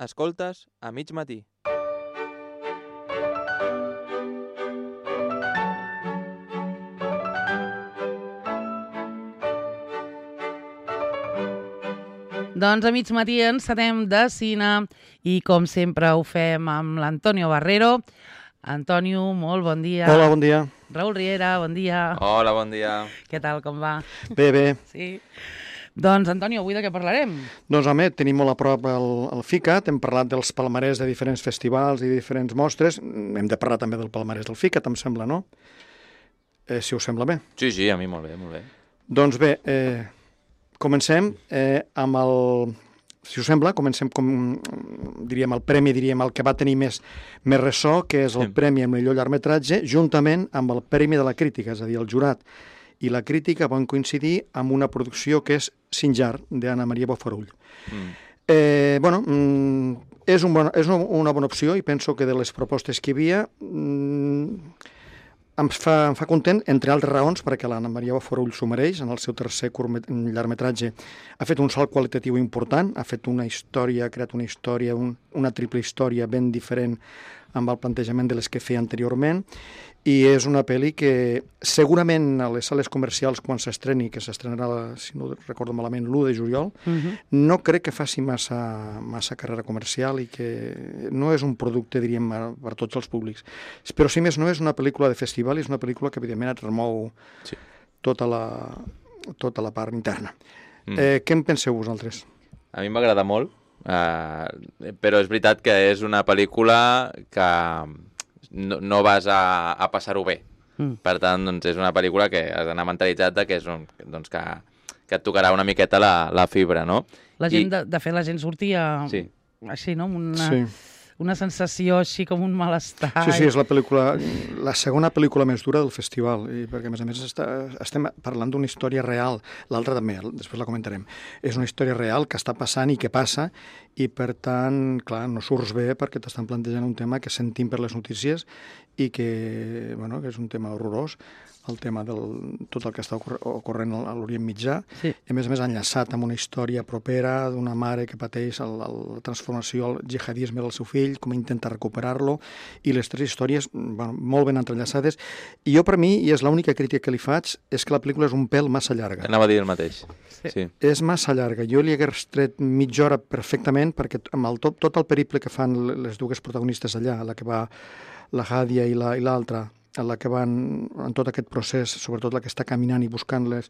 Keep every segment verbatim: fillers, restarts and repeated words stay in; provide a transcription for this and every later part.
Escoltes a mig matí. Doncs a mig matí encetem de cine i com sempre ho fem amb l'Antonio Barrero. Antonio, molt bon dia. Hola, bon dia. Raül Riera, bon dia. Hola, bon dia. Què tal, com va? Bé, bé. Sí. Doncs, Antonio, avui de què parlarem? Doncs, home, tenim molt a prop el, el FICAT, hem parlat dels palmarès de diferents festivals i diferents mostres, hem de parlar també del palmarès del FICAT, em sembla, no? Eh, si us sembla bé. Sí, sí, a mi molt bé, molt bé. Doncs bé, eh, comencem eh, amb el... Si us sembla, comencem com, diríem, el premi, diríem, el que va tenir més, més ressò, que és el sí. Premi al millor llargmetratge, juntament amb el Premi de la Crítica, és a dir, el jurat i la crítica van coincidir amb una producció que és Sinjar, d'Anna Maria Bofarull. Mm. Eh, bueno, mm, és, un bon, és una bona opció i penso que de les propostes que hi havia mm, em, fa, em fa content, entre altres raons, perquè l'Anna Maria Bofarull s'ho mereix, en el seu tercer llargmetratge ha fet un salt qualitatiu important, ha fet una història, ha creat una història, un, una triple història ben diferent amb el plantejament de les que feia anteriorment, i és una pel·li que segurament a les sales comercials quan s'estreni, que s'estrenarà, si no recordo malament, l'u de juliol, uh-huh. no crec que faci massa, massa carrera comercial i que no és un producte, diríem, per tots els públics. Però si més no és una pel·lícula de festival i és una pel·lícula que evidentment et remou sí. tota, la, tota la part interna. Mm. Eh, què en penseu vosaltres? A mi m'agrada molt, eh, però és veritat que és una pel·lícula que no, no vas a, a passar-ho bé. Mm. Per tant, doncs, és una pel·lícula que has d'anar mentalitzat de que, és un, doncs, que, que et tocarà una miqueta la, la fibra, no? La gent, I... de, de fet, la gent sortia sí. així, no? Una, sí. una sensació així com un malestar. Sí, sí, és la pel·lícula, la segona pel·lícula més dura del festival, i perquè a més a més està, estem parlant d'una història real, l'altra també, després la comentarem. És una història real que està passant i que passa, i per tant, clar, no surts bé perquè t'estan plantejant un tema que sentim per les notícies i que, bueno, que és un tema horrorós, el tema del tot el que està ocorrent a l'Orient Mitjà, sí. i a més a més enllaçat amb una història propera d'una mare que pateix el, el, la transformació al jihadisme del seu fill, com intenta recuperar-lo, i les tres històries bueno, molt ben entrellaçades. I jo, per mi, i és l'única crítica que li faig, és que la pel·lícula és un pèl massa llarga. Anava a dir el mateix. Sí. Sí. És massa llarga. Jo li hagués tret mitja hora perfectament, perquè amb el, tot, tot el periple que fan les dues protagonistes allà, la que va la Hadia i l'altra, en la que van en tot aquest procés, sobretot la que està caminant i buscant les,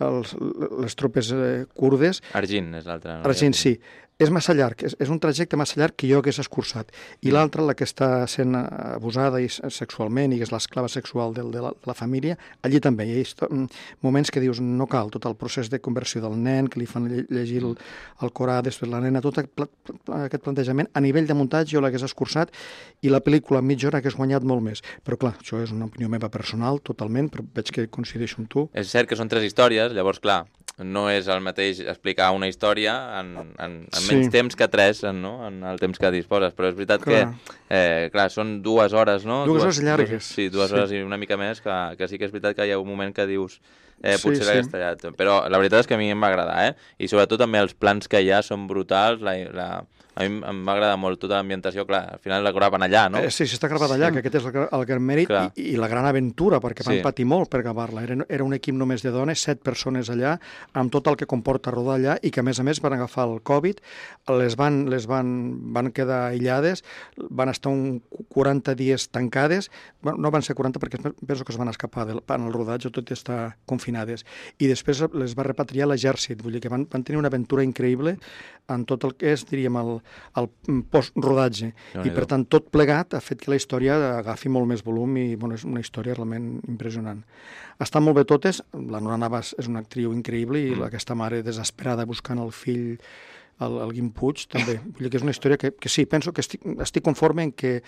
els, les tropes eh, kurdes. Argin és l'altra. No? Argin, sí. És massa llarg, és, és un trajecte massa llarg que jo hagués escurçat. I mm. l'altra, la que està sent abusada i sexualment i que és l'esclava sexual de, de, la, de la família, allí també hi ha moments que dius no cal, tot el procés de conversió del nen, que li fan llegir el, el Corà, després la nena, tot aquest plantejament, a nivell de muntatge jo l'hagués escurçat i la pel·lícula a mitja hora hagués guanyat molt més. Però clar, això és una opinió meva personal, totalment, però veig que coincideixo amb tu. És cert que són tres històries, llavors, clar, no és el mateix explicar una història en, en, en menys sí. temps que tres, no? En el temps que disposes, però és veritat clar. que, eh, clar, són dues hores, no? Dues, dues hores llargues. Dues, sí, dues sí. hores i una mica més, que, que sí que és veritat que hi ha un moment que dius eh, potser sí, l'hagués sí. tallat. Però la veritat és que a mi em va agradar, eh? I sobretot també els plans que hi ha són brutals, la... la... A mi em va agradar molt tota l'ambientació, clar, al final la gravaven allà, no? Eh, sí, sí, està gravat allà, sí. que aquest és el, el gran mèrit i, i la gran aventura, perquè van sí. patir molt per gravar-la. Era, era un equip només de dones, set persones allà, amb tot el que comporta rodar allà, i que a més a més van agafar el Covid, les van, les van, van quedar aïllades, van estar un quaranta dies tancades, bueno, no van ser quaranta perquè penso que es van escapar del, en el rodatge, tot i estar confinades, i després les va repatriar l'exèrcit, vull dir que van, van tenir una aventura increïble en tot el que és, diríem, el el post-rodatge, no, i per tant tot plegat ha fet que la història agafi molt més volum i bueno, és una història realment impressionant. Estan molt bé totes, la Nora Navas és una actriu increïble i mm. aquesta mare desesperada buscant el fill, el, el Guim Puig, també. Vull dir que és una història que, que sí, penso que estic, estic conforme en que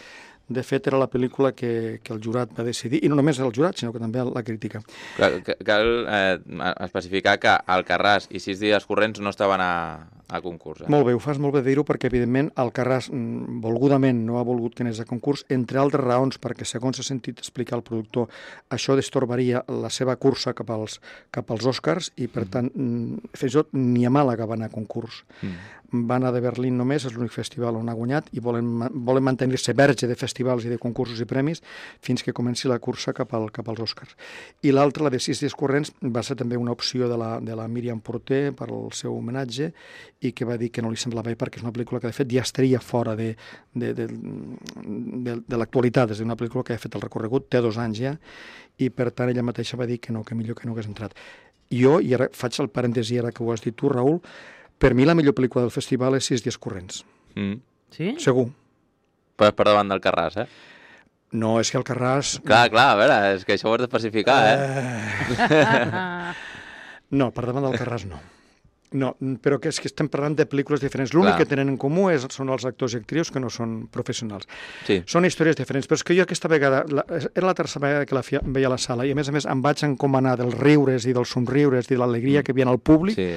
de fet era la pel·lícula que, que el jurat va decidir, i no només el jurat, sinó que també la crítica. Cal, cal eh, especificar que Alcarràs i Sis dies corrents no estaven a, a concurs. Eh? Molt bé, ho fas molt bé dir-ho, perquè evidentment Alcarràs volgudament no ha volgut que anés a concurs, entre altres raons, perquè segons s'ha sentit explicar el productor, això destorbaria la seva cursa cap als, cap als Oscars, i per tant, fins i tot ni a Màlaga va anar a concurs. Mm. va anar de Berlín només, és l'únic festival on ha guanyat, i volen, volen mantenir-se verge de festivals i de concursos i premis fins que comenci la cursa cap, al, cap als Oscars. I l'altra, la de Sis dies corrents, va ser també una opció de la, de la Míriam Porter per al seu homenatge, i que va dir que no li semblava bé perquè és una pel·lícula que de fet ja estaria fora de, de, de, de, de l'actualitat, és una pel·lícula que ha fet el recorregut, té dos anys ja, i per tant ella mateixa va dir que no, que millor que no hagués entrat. Jo, i ara faig el parèntesi ara que ho has dit tu, Raül, per mi la millor pel·lícula del festival és Sis dies corrents. Mm. Sí? Segur. Per, per davant del Carràs, eh? No, és que el Carràs... Clar, clar, a veure, és que això ho has d'especificar, eh? Uh... no, per davant del Carràs no. No, però que és que estem parlant de pel·lícules diferents. L'únic que tenen en comú és, són els actors i actrius que no són professionals. Sí. Són històries diferents, però és que jo aquesta vegada, la, era la tercera vegada que la fia, veia a la sala, i a més a més em vaig encomanar dels riures i dels somriures i de l'alegria que hi havia al públic, sí,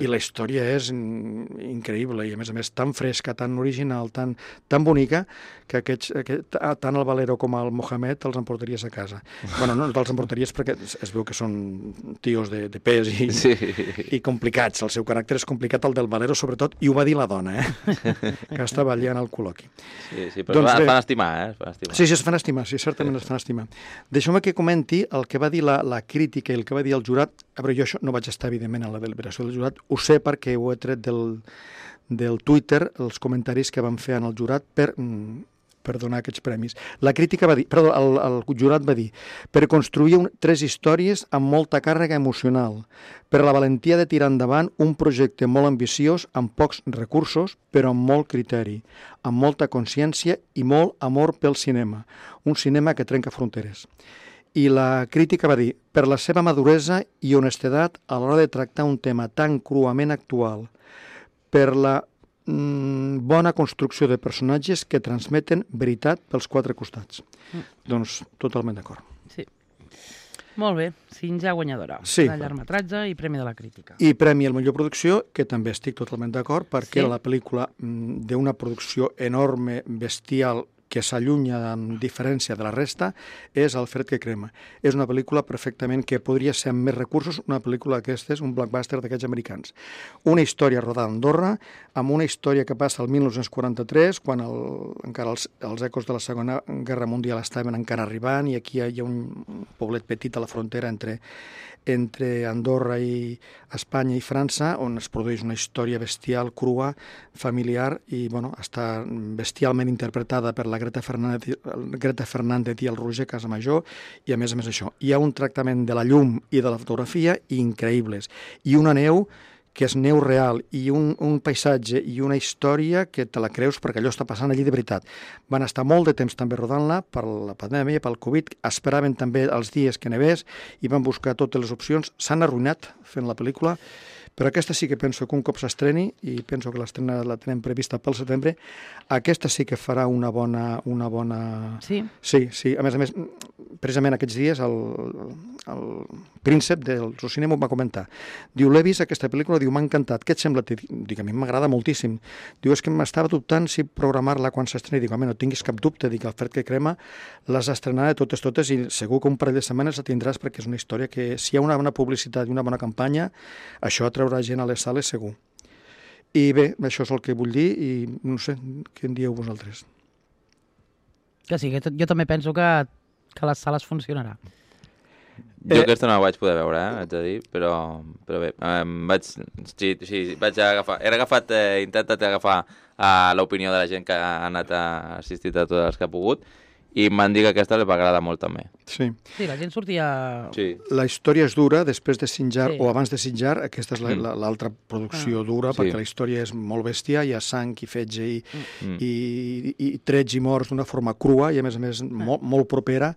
i la història és increïble, i a més a més tan fresca, tan original, tan, tan bonica, que aquests, aquest, tant el Valero com el Mohamed els emportaries a casa. Bueno, no els emportaries perquè es, es veu que són tios de, de pes i, sí. i complicats. El seu caràcter és complicat, el del Valero sobretot, i ho va dir la dona, eh? que estava allà en el col·loqui. Sí, sí, però doncs, es fan estimar, eh? Es fan estimar. Sí, sí, es fan estimar, sí, certament sí. es fan estimar. Deixeu-me que comenti el que va dir la, la crítica i el que va dir el jurat. A veure, jo això no vaig estar, evidentment, a la deliberació del jurat, ho sé perquè ho he tret del, del Twitter, els comentaris que van fer en el jurat per... per donar aquests premis. La crítica va dir, perdó, el, el jurat va dir, per construir un, tres històries amb molta càrrega emocional, per la valentia de tirar endavant un projecte molt ambiciós, amb pocs recursos, però amb molt criteri, amb molta consciència i molt amor pel cinema, un cinema que trenca fronteres. I la crítica va dir, per la seva maduresa i honestedat a l'hora de tractar un tema tan cruament actual, per la bona construcció de personatges que transmeten veritat pels quatre costats. Mm. Doncs totalment d'acord. Sí. Molt bé, cinquè guanyadora. Sí. De llargmetratge i Premi de la Crítica. I Premi a millor producció, que també estic totalment d'acord, perquè sí. era la pel·lícula d'una producció enorme, bestial, que s'allunya en diferència de la resta, és El fred que crema. És una pel·lícula perfectament que podria ser amb més recursos, una pel·lícula d'aquestes, un blockbuster d'aquests americans. Una història rodada a Andorra, amb una història que passa al dinou quaranta-tres, quan el, encara els, els ecos de la Segona Guerra Mundial estaven encara arribant, i aquí hi ha un poblet petit a la frontera entre entre Andorra i Espanya i França, on es produeix una història bestial, crua, familiar, i bueno, està bestialment interpretada per la Greta Fernández, Greta Fernández i el Roger Casamajor, i a més a més això. Hi ha un tractament de la llum i de la fotografia increïbles, i una neu que és neu real, i un, un paisatge i una història que te la creus perquè allò està passant allí de veritat. Van estar molt de temps també rodant-la per la pandèmia, pel Covid, esperaven també els dies que nevés i van buscar totes les opcions. S'han arruïnat fent la pel·lícula, però aquesta sí que penso que un cop s'estreni, i penso que l'estrena la tenem prevista pel setembre, aquesta sí que farà una bona... Una bona... Sí? Sí, sí. A més a més, precisament aquests dies el, el príncep del cinema ho va comentar. Diu, l'he vist aquesta pel·lícula, diu, m'ha encantat. Què et sembla? Dic, a mi m'agrada moltíssim. Diu, és que m'estava dubtant si programar-la quan s'estreni. Dic, home, no tinguis cap dubte. Dic, El fred que crema les estrenarà totes, totes, i segur que un parell de setmanes la tindràs, perquè és una història que, si hi ha una bona publicitat i una bona campanya, això atraurà gent a les sales segur. I bé, això és el que vull dir, i no sé, què en dieu vosaltres? Que sí, que jo també penso que, que les sales funcionarà. Jo eh... aquesta no la vaig poder veure, eh, haig de dir, però, però bé, em vaig, sí, sí, vaig agafar, he agafat, eh, he intentat agafar eh, l'opinió de la gent que ha anat a assistir a totes les que ha pogut, i m'han dit que aquesta li va agradar molt també. Sí. Sí, la gent sortia... Sí. La història és dura, després de Sinjar, sí. o abans de Sinjar, aquesta és mm. l'altra producció ah. dura, sí. perquè la història és molt bèstia, hi ha sang i fetge i, mm. i, i, i trets i morts d'una forma crua, i a més a més molt, molt propera,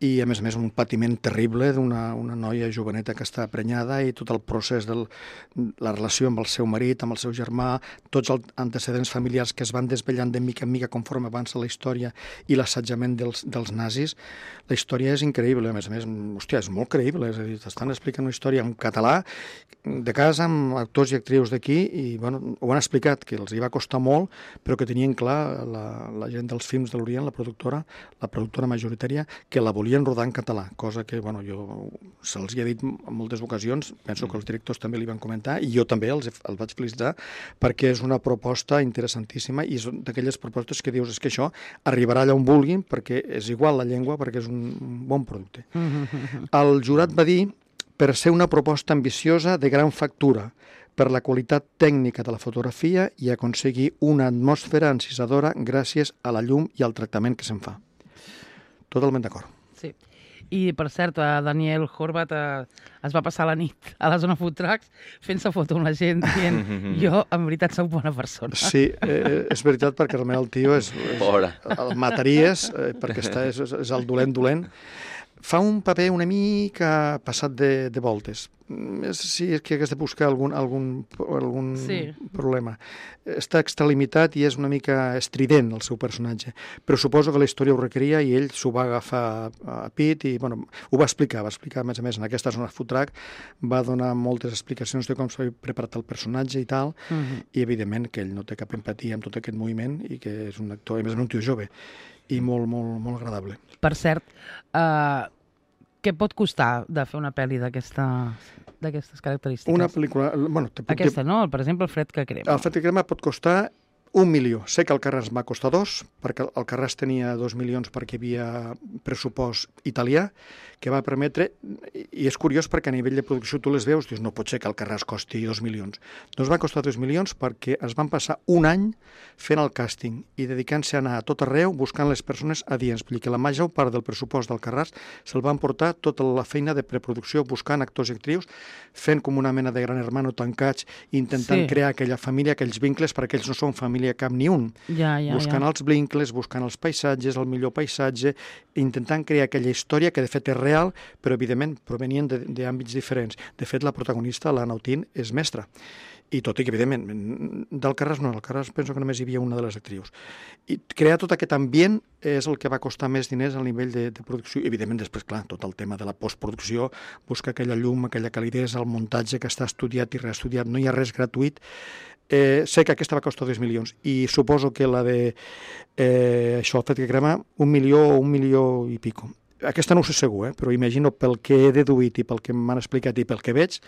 i a més a més un patiment terrible d'una una noia joveneta que està prenyada, i tot el procés de la relació amb el seu marit, amb el seu germà, tots els antecedents familiars que es van desvellant de mica en mica conforme avança la història, i l'assetjament dels, dels nazis. La història és increïble, a més a més, hòstia, és molt creïble, és a dir, t'estan explicant una història en català, de casa, amb actors i actrius d'aquí, i bueno, ho han explicat, que els hi va costar molt, però que tenien clar la, la gent dels films de l'Orient, la productora, la productora majoritària, que la volia volien rodar en català, cosa que bueno, jo se'ls hi he dit en moltes ocasions, penso que els directors també li van comentar, i jo també els, els vaig felicitar, perquè és una proposta interessantíssima, i és d'aquelles propostes que dius, és que això arribarà allà on vulguin, perquè és igual la llengua, perquè és un bon producte. El jurat va dir, per ser una proposta ambiciosa de gran factura, per la qualitat tècnica de la fotografia i aconseguir una atmosfera encisadora gràcies a la llum i al tractament que se'n fa. Totalment d'acord. Sí. I, per cert, Daniel Horvat eh, es va passar la nit a la zona food trucks fent-se foto amb la gent dient jo, en veritat, soc bona persona. Sí, eh, és veritat, perquè realment el tio és... Pobre. El mataries, eh, perquè està, és, és el dolent dolent. Fa un paper una mica passat de, de voltes. Sí, és que hagués de buscar algun, algun, algun sí. problema. Està extralimitat i és una mica estrident el seu personatge, però suposo que la història ho requeria i ell s'ho va agafar a pit i bueno, ho va explicar, va explicar a més a més en aquesta zona food truck, va donar moltes explicacions de com s'ha preparat el personatge i tal, uh -huh. i evidentment que ell no té cap empatia amb tot aquest moviment i que és un actor, a més un tio jove i molt, molt, molt agradable. Per cert, uh, què pot costar de fer una pel·li d'aquestes característiques? Una pel·lícula... Bueno, te puc Aquesta, dir... no? Per exemple, el Fred que crema. El Fred que crema pot costar un milió. Sé que el Carràs va costar dos, perquè el Carràs tenia dos milions perquè hi havia pressupost italià, que va permetre, i és curiós perquè a nivell de producció tu les veus, dius, no pot ser que el Carràs costi dos milions. Doncs va costar dos milions perquè es van passar un any fent el càsting i dedicant-se a anar a tot arreu buscant les persones adients. Vull dir que la major part del pressupost del Carràs se'l van portar tota la feina de preproducció buscant actors i actrius, fent com una mena de gran hermano tancats, intentant sí. crear aquella família, aquells vincles, perquè ells no són família cap ni un. Ja, ja, buscant ja. els vincles, buscant els paisatges, el millor paisatge, intentant crear aquella història que de fet és real, però evidentment provenien d'àmbits diferents. De fet, la protagonista, l'Anna Otín, és mestra. I tot i que, evidentment, del Carràs no, del Carràs penso que només hi havia una de les actrius. I crear tot aquest ambient és el que va costar més diners al nivell de, de producció. I, evidentment, després, clar, tot el tema de la postproducció, buscar aquella llum, aquella calidesa, el muntatge que està estudiat i reestudiat, no hi ha res gratuït. Eh, sé que aquesta va costar dos milions i suposo que la de eh, això, el fet que crema, un milió o un milió i pico. Aquesta no ho sé segur, eh? Però imagino pel que he deduït i pel que m'han explicat i pel que veig,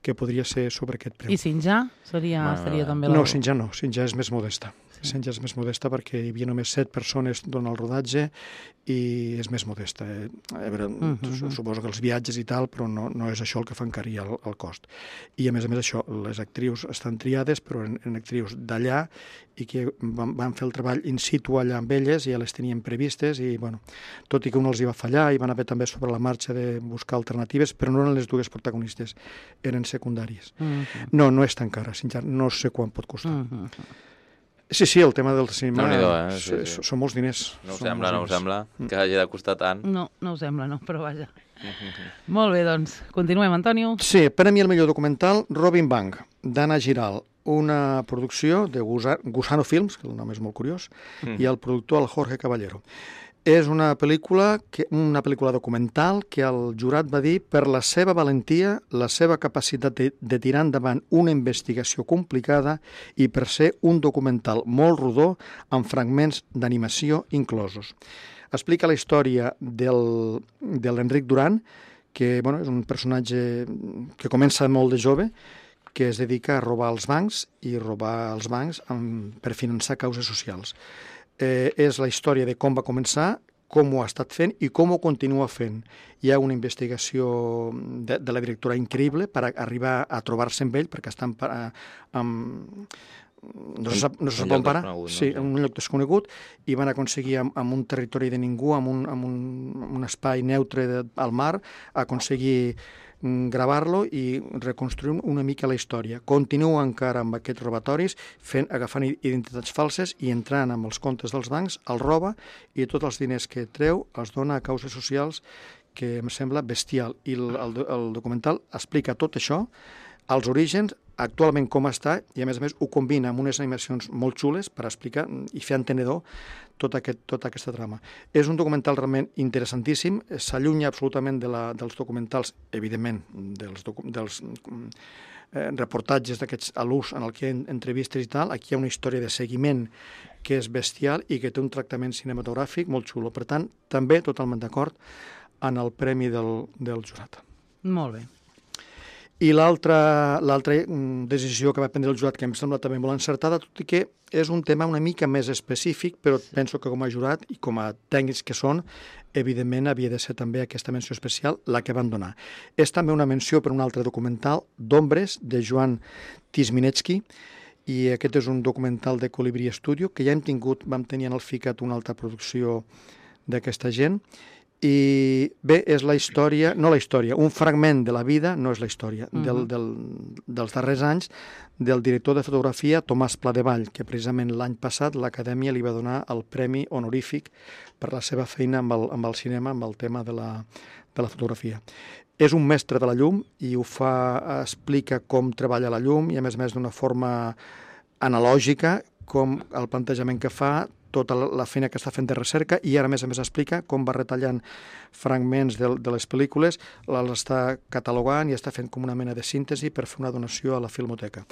que podria ser sobre aquest preu. I Sinjà? Seria, bueno, seria també la... No, Sinjà no, Sinjà és més modesta. Sí. Sinjà és més modesta perquè hi havia només set persones durant el rodatge i és més modesta. Eh? A veure, uh -huh. suposo que els viatges i tal, però no, no és això el que fa encarir el, el cost. I a més a més això, les actrius estan triades, però en, en actrius d'allà i que van, van fer el treball in situ allà amb elles i ja les tenien previstes i, bueno, tot i que un els hi va fallar i van haver també sobre la marxa de buscar alternatives, però no eren les dues protagonistes, eren secundàries. Uh -huh. No, no és tan cara, Sinjà, no sé quan pot costar. Uh -huh. Sí, sí, el tema del cinema no, eh? sí, sí. són molts diners. No ho sembla, no ho sembla, que hagi de costar tant. No, no ho sembla, no, però vaja. Molt bé, doncs, continuem, Antonio. Sí, per a mi el millor documental, Robin Bank, d'Anna Giral, una producció de Gusano Films, que el nom és molt curiós, mm. i el productor, el Jorge Caballero. És una pel·lícula, que, una pel·lícula documental que el jurat va dir per la seva valentia, la seva capacitat de, de tirar endavant una investigació complicada i per ser un documental molt rodó amb fragments d'animació inclosos. Explica la història del, de l'Enric Duran, que bueno, és un personatge que comença molt de jove, que es dedica a robar els bancs i robar els bancs amb, per finançar causes socials. Eh, és la història de com va començar, com ho ha estat fent i com ho continua fent. Hi ha una investigació de, de la directora increïble per arribar a trobar-se amb ell, perquè estan eh, amb... no se sap, no se sap on parar, sí, en un lloc desconegut, i van aconseguir amb, amb un territori de ningú, amb un, amb un, amb un espai neutre de, al mar, aconseguir gravar-lo i reconstruir una mica la història. Continua encara amb aquests robatoris, fent, agafant identitats falses i entrant amb els comptes dels bancs, el roba i tots els diners que treu els dona a causes socials, que em sembla bestial. I el, el, el documental explica tot això, els orígens, actualment com està, i a més a més ho combina amb unes animacions molt xules per explicar i fer entenedor tot aquest, tota aquesta trama. És un documental realment interessantíssim, s'allunya absolutament de la, dels documentals, evidentment, dels, docu dels eh, reportatges d'aquests a l'ús en el que hi ha entrevistes i tal. Aquí hi ha una història de seguiment que és bestial i que té un tractament cinematogràfic molt xulo. Per tant, també totalment d'acord en el premi del, del jurat. Molt bé. I l'altra decisió que va prendre el jurat, que em sembla també molt encertada, tot i que és un tema una mica més específic, però penso que com a jurat i com a tècnics que són, evidentment havia de ser també aquesta menció especial la que van donar. És també una menció per un altre documental, d'Ombres, de Joan Tisminetsky, i aquest és un documental de Colibrí Studio, que ja hem tingut, vam tenir en el FICAT una altra producció d'aquesta gent, i bé, és la història, no la història, un fragment de la vida, no és la història, uh-huh. del, del, dels darrers anys del director de fotografia Tomàs Pladevall, que precisament l'any passat l'Acadèmia li va donar el premi honorífic per la seva feina amb el, amb el cinema, amb el tema de la, de la fotografia. És un mestre de la llum i ho fa, explica com treballa la llum i a més a més d'una forma analògica, com el plantejament que fa, tota la feina que està fent de recerca, i ara, a més a més, explica com va retallant fragments de, de les pel·lícules, les està catalogant i està fent com una mena de síntesi per fer una donació a la Filmoteca.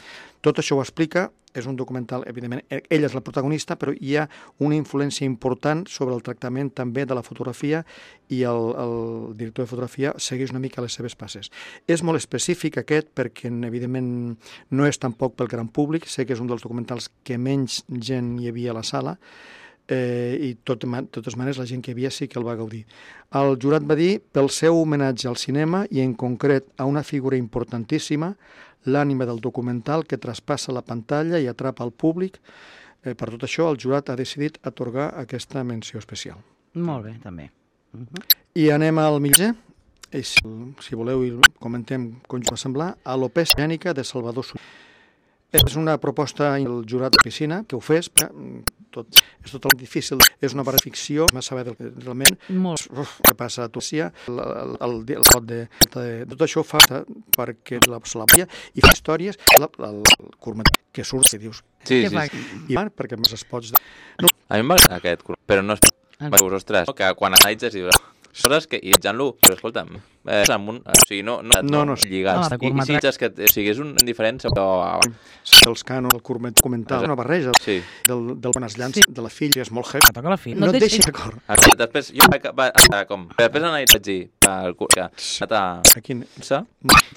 Tot això ho explica, és un documental, evidentment, ella és la protagonista, però hi ha una influència important sobre el tractament també de la fotografia i el, el director de fotografia segueix una mica les seves passes. És molt específic aquest perquè, evidentment, no és tampoc pel gran públic, sé que és un dels documentals que menys gent hi havia a la sala, eh, i tot, de totes maneres la gent que hi havia sí que el va gaudir. El jurat va dir, pel seu homenatge al cinema i en concret a una figura importantíssima, l'ànima del documental que traspassa la pantalla i atrapa el públic, eh, per tot això el jurat ha decidit atorgar aquesta menció especial. Molt bé, també. Uh -huh. I anem al mitjà. I si, si voleu i comentem com va semblar, a l'Opès Gènica de Salvador Soler. És una proposta del jurat de piscina que ho fes, tot, és totalment difícil, és una barra de ficció, no saber del, realment uf, què passa a Turcia, el, el, el, el, el de, de, tot això fa perquè la la i fa històries, el, el, el curtmetratge que surt i dius, sí, què sí, fa? sí. I van, perquè més es pots... No. A mi m'agrada aquest, però no és... Veus, ostres, que quan analitzes i dius... Coses que, i etsant-lo, però escolta'm, eh, amb un, o sigui, no, no, no, no lligats. No, I, i si ets que, o sigui, és un indiferent, però... Els cànons, el curmet documental, és una barreja sí. del, del quan es llança sí. de la filla, és molt heavy. No toca la filla. No, no et deixi d'acord. Després, jo va, va, com, després analitzar dir, el curs, que... A, a quin? Sa?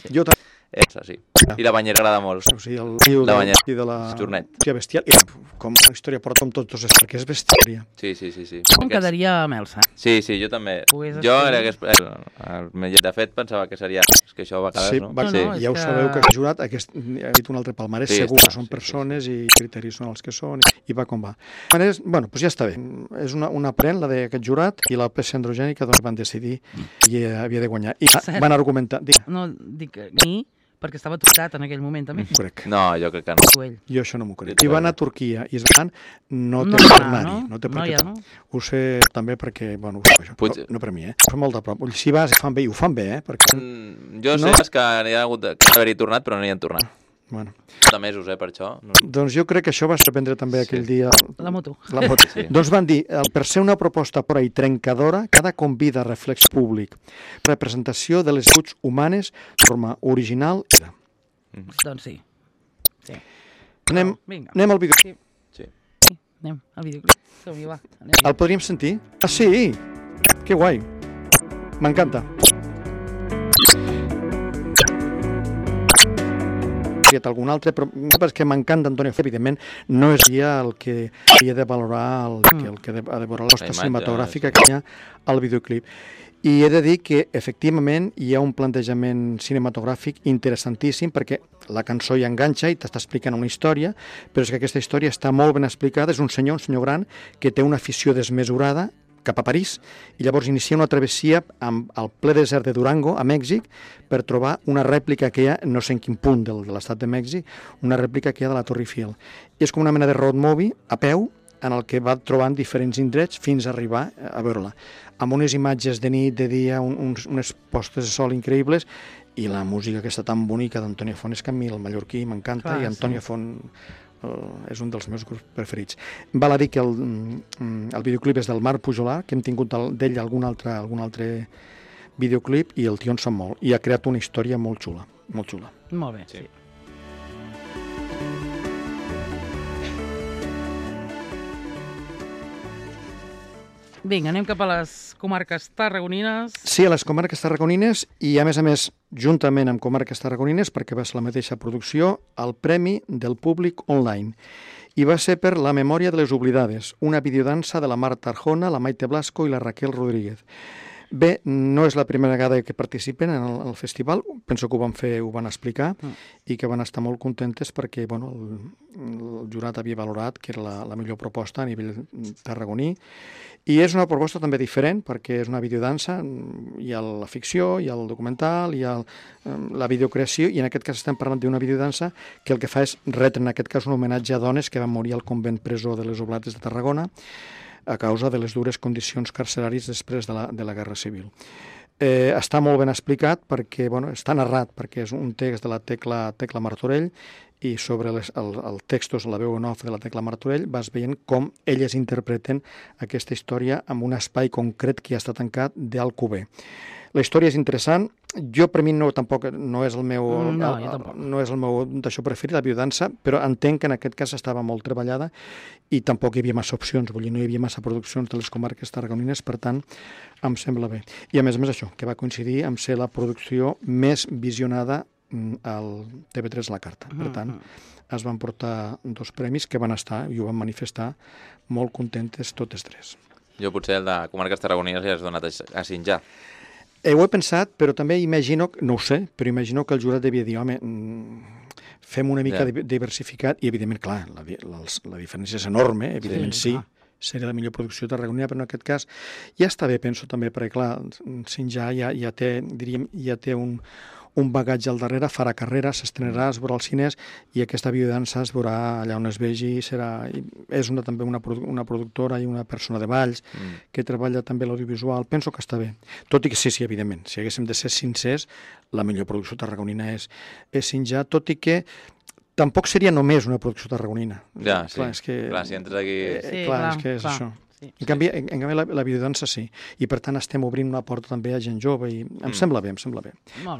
Jo també. Esa, sí. I la banyera agrada molt. O sigui, el riu la banyera. I de la... Jornet. Hòstia, bestial. I com la història porta amb tots els perquè és bestiària. Sí, sí, sí. sí. Com Aquests... quedaria amb Elsa? Sí, sí, jo també. Pugues jo, era que el, el, el, de fet, pensava que seria... És que això va quedar, sí, no? Va, no, sí, no ja ho que... sabeu que ha jurat, aquest, ha dit un altre palmarès, sí, segur que són sí, persones sí, sí. i criteris són els que són, i va com va. Maneres, bueno, doncs ja està bé. És una, una pren, la d'aquest jurat, i la peça androgènica doncs van decidir i havia de guanyar. I Cert. van argumentar... Dic, no, dic ni... perquè estava tocat en aquell moment, també. Crec. No, jo crec que no. Jo això no m'ho crec. Si van a Turquia i es van, no té no, per anar-hi. No, no té per no, què. Ja, no. Ho sé també perquè, bueno, ho sé, això. No, no per mi, eh? Ho fa molt de prop. Si vas, fan bé, i ho fan bé, eh? Perquè... Mm, jo no? sé que n'hi ha hagut d'haver-hi tornat, però no hi han tornat. Bueno. De mesos, eh, per això. No. Doncs jo crec que això va sorprendre també sí. aquell dia... La moto. La moto. Sí. Doncs van dir, per ser una proposta pura i trencadora, cada convida a reflex públic, representació de les virtuts humanes de forma original... Mm. Doncs sí. sí. Anem, no, anem al videoclip. Sí. sí. Anem al videoclip. Som-hi, va. Anem. El podríem sentir? Ah, sí! Que guai. M'encanta. Algun altre, però perquè m'encanta Antonio Fon, evidentment no és ja el que havia de valorar el, mm. el que ha de valorar l'hosta cinematogràfica que hi ha al videoclip. I he de dir que, efectivament, hi ha un plantejament cinematogràfic interessantíssim perquè la cançó hi enganxa i t'està explicant una història, però és que aquesta història està molt ben explicada. És un senyor, un senyor gran, que té una afició desmesurada cap a París i llavors inicia una travessia amb el ple desert de Durango, a Mèxic, per trobar una rèplica que hi ha, no sé en quin punt del, de l'estat de Mèxic, una rèplica que hi ha de la Torre Eiffel. I és com una mena de road movie, a peu, en el que va trobant diferents indrets fins a arribar a veure-la. Amb unes imatges de nit, de dia, un, uns, unes postes de sol increïbles i la música aquesta tan bonica d'Antonio Fon. És que a mi el mallorquí m'encanta i Antonio sí. Fon uh, és un dels meus grups preferits. Val a dir que el, el videoclip és del Marc Pujolà, que hem tingut d'ell algun altre, algun altre videoclip i el tio en sap molt. I ha creat una història molt xula, molt xula. Molt bé, sí. sí. Vinga, anem cap a les comarques tarragonines. Sí, a les comarques tarragonines i, a més a més, juntament amb comarques tarragonines, perquè va ser la mateixa producció, el Premi del Públic Online. I va ser per La memòria de les oblidades, una videodansa de la Marta Arjona, la Maite Blasco i la Raquel Rodríguez. Bé, no és la primera vegada que participen en el, en el festival, penso que ho van fer, ho van explicar, mm. i que van estar molt contentes perquè bueno, el, el jurat havia valorat que era la, la millor proposta a nivell tarragoní. I és una proposta també diferent perquè és una videodansa, hi ha la ficció, hi ha el documental, hi ha el, la videocreació, i en aquest cas estem parlant d'una videodansa que el que fa és retre, en aquest cas, un homenatge a dones que van morir al convent presó de les Oblates de Tarragona a causa de les dures condicions carceràries després de la, de la Guerra Civil. Eh, està molt ben explicat perquè bueno, està narrat, perquè és un text de la Tecla, Tecla Martorell, i sobre les, el, el textos, la veu en off de la Tecla Martorell, vas veient com elles interpreten aquesta història en un espai concret que ja està tancat d'Alcover. La història és interessant. Jo, per mi, no, tampoc no és el meu, no, el, no és el meu d'això preferit, la biodansa, però entenc que en aquest cas estava molt treballada i tampoc hi havia massa opcions, vull dir, no hi havia massa produccions de les comarques tarragonines, per tant, em sembla bé. I a més a més això, que va coincidir amb ser la producció més visionada al T V tres La Carta. Per tant, es van portar dos premis que van estar, i ho van manifestar, molt contentes totes tres. Jo potser el de comarques tarragonines li has donat a Sinjar. Eh, ho he pensat, però també imagino, no ho sé, però imagino que el jurat devia dir, home, fem una mica yeah. diversificat, i evidentment, clar, la, la, la diferència és enorme, evidentment sí, sí seria la millor producció tarragonina, però en aquest cas ja està bé, penso també, perquè clar, Sinjar ja, ja té, diríem, ja té un, un bagatge al darrere, farà carrera, s'estrenarà, es veurà als cines, i aquesta biodansa es veurà allà on es vegi, serà, és una, també una, una productora i una persona de balls mm. que treballa també l'audiovisual, penso que està bé. Tot i que sí, sí, evidentment, si haguéssim de ser sincers, la millor producció tarragonina és, és Sinjar, tot i que tampoc seria només una producció tarragonina. Ja, sí, clar, és que, clar, si entres aquí... Eh, sí, clar, clar, és que és clar. això. Sí. En canvi, en, en canvi la, la biodansa sí, i per tant estem obrint una porta també a gent jove i em mm. sembla bé, em sembla bé. Molt bé.